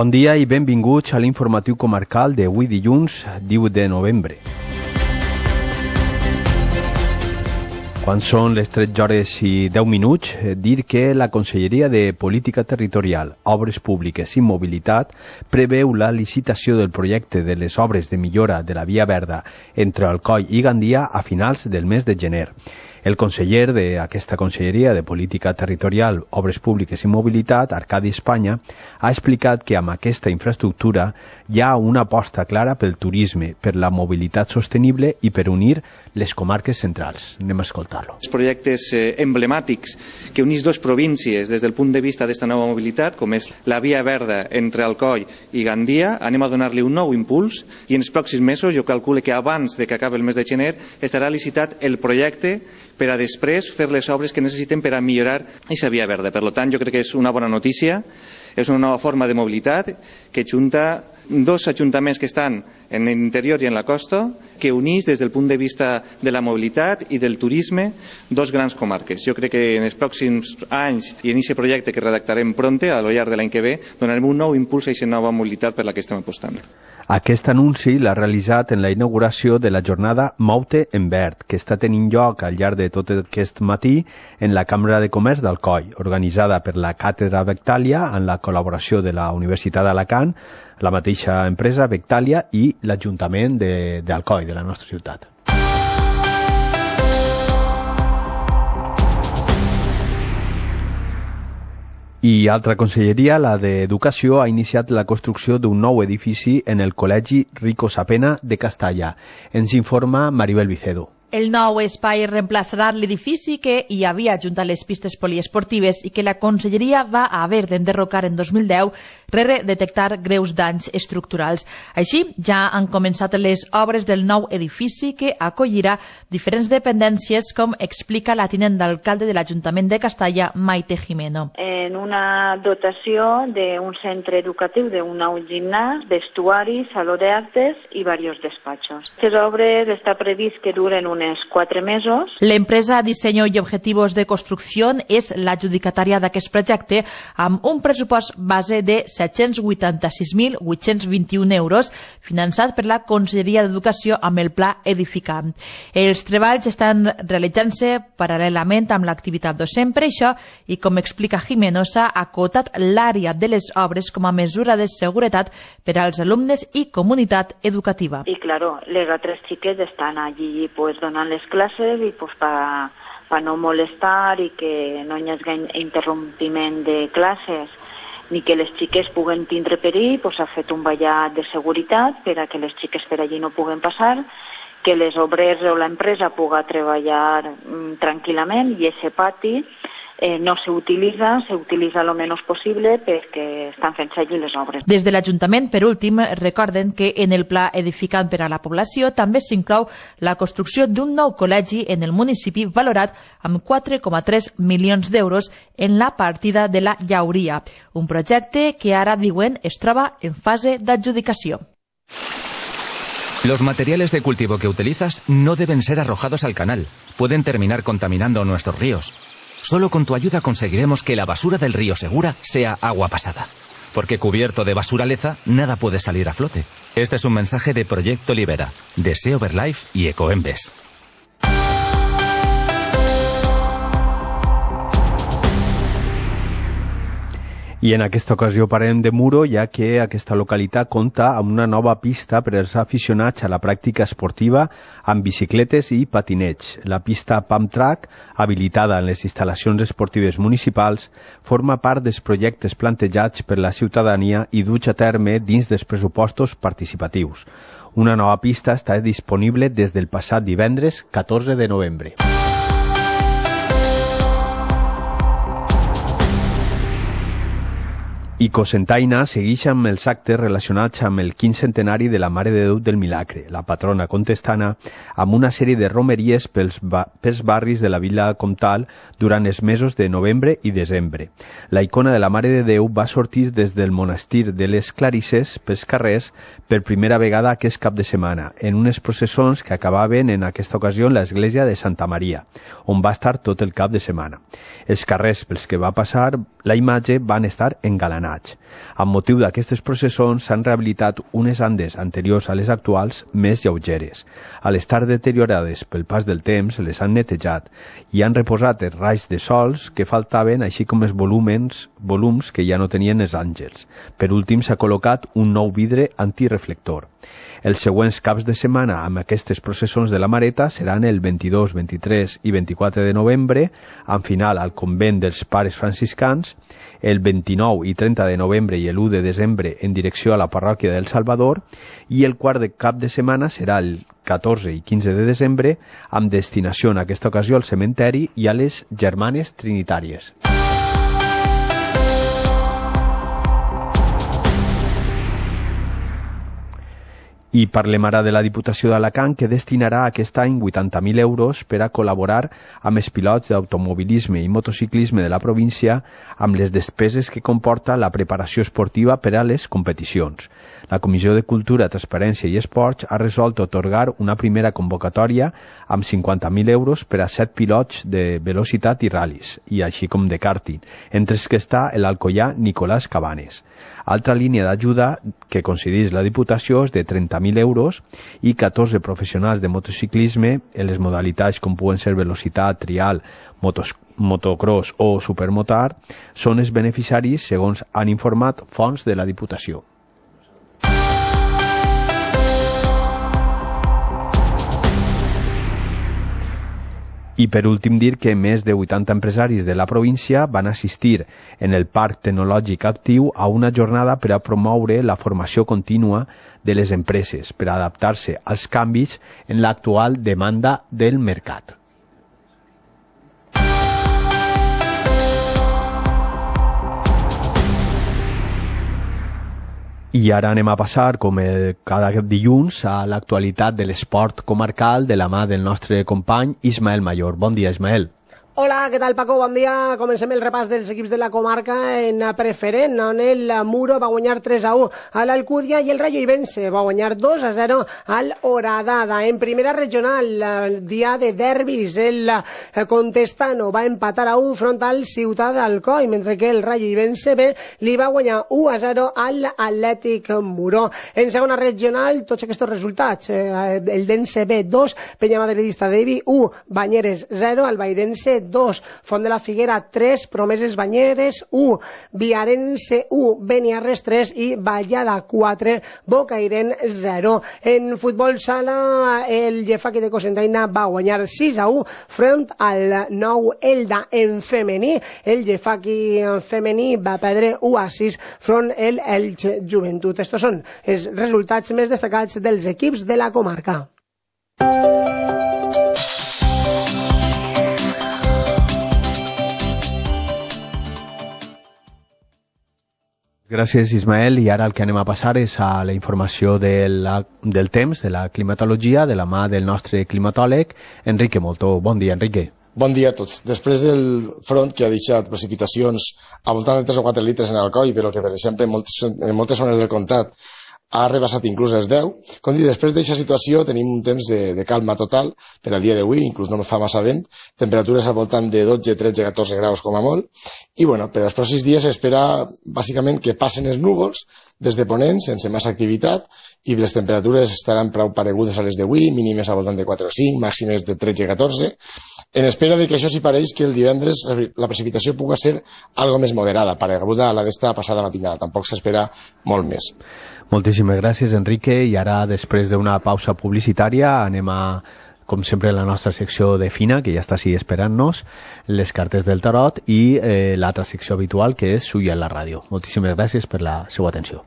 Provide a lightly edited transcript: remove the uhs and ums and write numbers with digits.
Bon dia i benvinguts a l'informatiu comarcal d'avui dilluns 18 de novembre. Quan són les 13 hores i 10 minuts, dir que la Conselleria de Política Territorial, Obres Públiques i Mobilitat preveu la licitació del projecte de les obres de millora de la Via Verda entre Alcoi i Gandia a finals del mes de gener. El conseller d'aquesta Conselleria de Política Territorial, Obres Públiques i Mobilitat, Arcadi Espanya, ha explicat que amb aquesta infraestructura hi ha una aposta clara pel turisme, per la mobilitat sostenible i per unir les comarques centrals. Anem a escoltar-lo. Els projectes emblemàtics que unís dues províncies des del punt de vista d'esta nova mobilitat, com és la Via Verda entre Alcoi i Gandia, anem a donar-li un nou impuls i en els pròxims mesos, jo calculo que abans de que acabi el mes de gener, estarà licitat el projecte per a després fer les obres que necessiten per a millorar aquesta Via Verda. Per tant, jo crec que és una bona notícia, és una nova forma de mobilitat que junta dos ajuntaments que estan en l'interior i en la costa, que unís des del punt de vista de la mobilitat i del turisme dos grans comarques. Jo crec que en els pròxims anys i en aquest projecte que redactarem pronte, a lo llarg de l'any que ve, donarem un nou impuls a aquesta nova mobilitat per la que estem apostant. Aquest anunci l'ha realitzat en la inauguració de la jornada Moute en Verd, que està tenint lloc al llarg de tot aquest matí en la Cambra de Comerç d'Alcoi, organitzada per la Càtedra Vectàlia en la col·laboració de la Universitat d'Alacant, la mateixa empresa Vectàlia i l'Ajuntament d'Alcoi, de la nostra ciutat. I altra conselleria, la d'Educació, ha iniciat la construcció d'un nou edifici en el Col·legi Rico Sapena de Castalla. Ens informa Maribel Vicedo. El nou espai reemplaçarà l'edifici que hi havia junt a les pistes poliesportives i que la Conselleria va haver d'enderrocar en 2010 rere detectar greus danys estructurals. Així, ja han començat les obres del nou edifici que acollirà diferents dependències, com explica la tinent d'alcalde de l'Ajuntament de Castalla, Maite Jimeno. En una dotació d'un centre educatiu, d'un nou gimnàs, vestuari, saló d'actes i diversos despatxos. Les obres està previst que duren unes 4 mesos. L'empresa Diseño y Objetivos de Construcción és l'adjudicatària d'aquest projecte amb un pressupost base de 786.821 euros finançat per la Conselleria d'Educació amb el Pla Edificant. Els treballs estan realitzant-se paral·lelament amb l'activitat docent. Per això, i com explica Jimeno, s'ha acotat l'àrea de les obres com a mesura de seguretat per als alumnes i comunitat educativa. I, claro, les altres xiques estan allí donant les classes i per no molestar i que no hi hagi interrompiment de classes ni que les xiques puguen tindre perill, s'ha fet un vallat de seguretat per a que les xiques per allí no puguen passar, que les obrers o l'empresa pugui treballar tranquil·lament i aquest pati no s'utilitza el menys possible perquè estan fent allí les obres. Des de l'Ajuntament, per últim, recorden que en el Pla Edificant per a la Població també s'inclou la construcció d'un nou col·legi en el municipi valorat amb 4,3 milions d'euros en la partida de la Llauria, un projecte que ara, diuen, es troba en fase d'adjudicació. Los materiales de cultivo que utilizas no deben ser arrojados al canal. Pueden terminar contaminando nuestros ríos. Solo con tu ayuda conseguiremos que la basura del río Segura sea agua pasada. Porque cubierto de basuraleza, nada puede salir a flote. Este es un mensaje de Proyecto Libera, de Sea Over Life y Ecoembes. I en aquesta ocasió parlem de Muro, ja que aquesta localitat compta amb una nova pista per als aficionats a la pràctica esportiva amb bicicletes i patineig. La pista Pump Track, habilitada en les instal·lacions esportives municipals, forma part dels projectes plantejats per la ciutadania i duts a terme dins dels pressupostos participatius. Una nova pista està disponible des del passat divendres 14 de novembre. I Cocentaina segueix amb els actes relacionats amb el 15 centenari de la Mare de Déu del Milagre, la patrona contestana, amb una sèrie de romeries pels barris de la vila comtal durant els mesos de novembre i desembre. La icona de la Mare de Déu va sortir des del monestir de les Clarisses pels carrers per primera vegada aquest cap de setmana, en unes processons que acabaven en aquesta ocasió en l'església de Santa Maria, on va estar tot el cap de setmana. Els carrers pels que va passar la imatge van estar engalanats. drenatge. Amb motiu d'aquestes processons s'han rehabilitat unes andes anteriors a les actuals més lleugeres. Al estar deteriorades pel pas del temps, les han netejat i han reposat els raigs de sols que faltaven, així com els volums que ja no tenien els àngels. Per últim, s'ha col·locat un nou vidre antireflector. Els següents caps de setmana amb aquestes processons de la Mareta seran el 22, 23 i 24 de novembre, amb final al convent dels Pares Franciscans, el 29 i 30 de novembre i l'1 de desembre en direcció a la parròquia del Salvador, i el quart de cap de setmana serà el 14 i 15 de desembre, amb destinació en aquesta ocasió al cementeri i a les Germanes Trinitàries. I parlem ara de la Diputació d'Alacant, que destinarà aquest any 80.000 euros per a col·laborar amb els pilots d'automobilisme i motociclisme de la província amb les despeses que comporta la preparació esportiva per a les competicions. La Comissió de Cultura, Transparència i Esports ha resolt atorgar una primera convocatòria amb 50.000 euros per a 7 pilots de velocitat i ral·lis, i així com de kàrting, entre els que està l'alcoià Nicolás Cabanes. Altra línia d'ajuda que concedeix la Diputació és de 30.000 euros i 14 professionals de motociclisme en les modalitats com puguen ser velocitat, trial, motocross o supermotar són els beneficiaris, segons han informat fonts de la Diputació. I per últim dir que més de 80 empresaris de la província van assistir en el Parc Tecnològic Actiu a una jornada per a promoure la formació contínua de les empreses per a adaptar-se als canvis en l'actual demanda del mercat. I ara anem a passar, com cada dilluns, a l'actualitat de l'esport comarcal de la mà del nostre company Ismael Mayor. Bon dia, Ismael. Hola, què tal, Paco? Bon dia. Comencem el repàs dels equips de la comarca en preferent, on el Muro va guanyar 3-1 a l'Alcúdia i el Rayo Ibense va guanyar 2-0 al Horadada. En primera regional, dia de derbis, el Contestano va empatar a 1 front al Ciutat d'Alcoi, mentre que el Rayo Ibense B li va guanyar 1-0 al Atlètic Muro. En segona regional, tots aquests resultats, el Dense B 2, Peñamadridista d'Evi 1, Banyeres 0, el Baidense 2, Font de la Figuera 3, Promeses Banyeres 1, Viarense 1, Beniarres 3 i Vallada 4, Bocairen 0. En futbol sala, el Llefaqui de Cocentaina va guanyar 6-1 front al Nou Elda. En femení, el Llefaqui femení va perdre 1-6 front el Elx Joventut. Estos són els resultats més destacats dels equips de la comarca. Gràcies, Ismael. I ara el que anem a passar és a la informació del temps, de la climatologia, de la mà del nostre climatòleg, Enrique Moltó. Bon dia, Enrique. Bon dia a tots. Després del front que ha deixat precipitacions a voltant de 3 o 4 litres en Alcoi, però que, per exemple, en moltes zones del comtat ha rebassat inclús els 10. Com dic, després d'aquesta situació tenim un temps de calma total per al dia d'avui, inclús no fa massa vent, temperatures al voltant de 12, 13, 14 graus com a molt, i bueno, per als pròxims dies s'espera bàsicament que passen els núvols des de ponent sense massa activitat i les temperatures estaran prou paregudes a les d'avui, mínimes al voltant de 4 o 5, màximes de 13 i 14, en espera de que això sí pareix que el divendres la precipitació pugui ser algo més moderada, pareguda a la d'esta passada matinada, tampoc s'espera molt més. Moltíssimes gràcies, Enrique, i ara, després d'una pausa publicitària, anem a, com sempre, la nostra secció de Fina, que ja està així esperant-nos, les cartes del tarot i l'altra secció habitual, que és Suya en la ràdio. Moltíssimes gràcies per la seva atenció.